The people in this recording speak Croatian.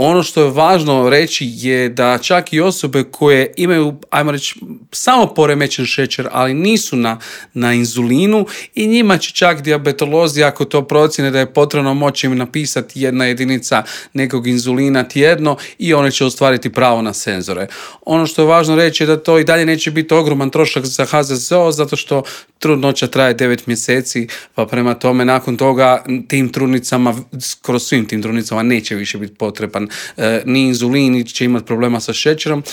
Ono što je važno reći je da čak i osobe koje imaju, ajmo reći, samo poremećen šećer, ali nisu na inzulinu, i njima će čak dijabetolozi, ako to procjene da je potrebno, moći im napisati 1 jedinica nekog inzulina tjedno i one će ostvariti pravo na senzore. Ono što je važno reći je da to i dalje neće biti ogroman trošak za HZZO, zato što trudnoća traje 9 mjeseci, pa prema tome nakon toga tim trudnicama, skoro svim tim trudnicama neće više biti potreban ni inzulin, niti će imati problema sa šećerom,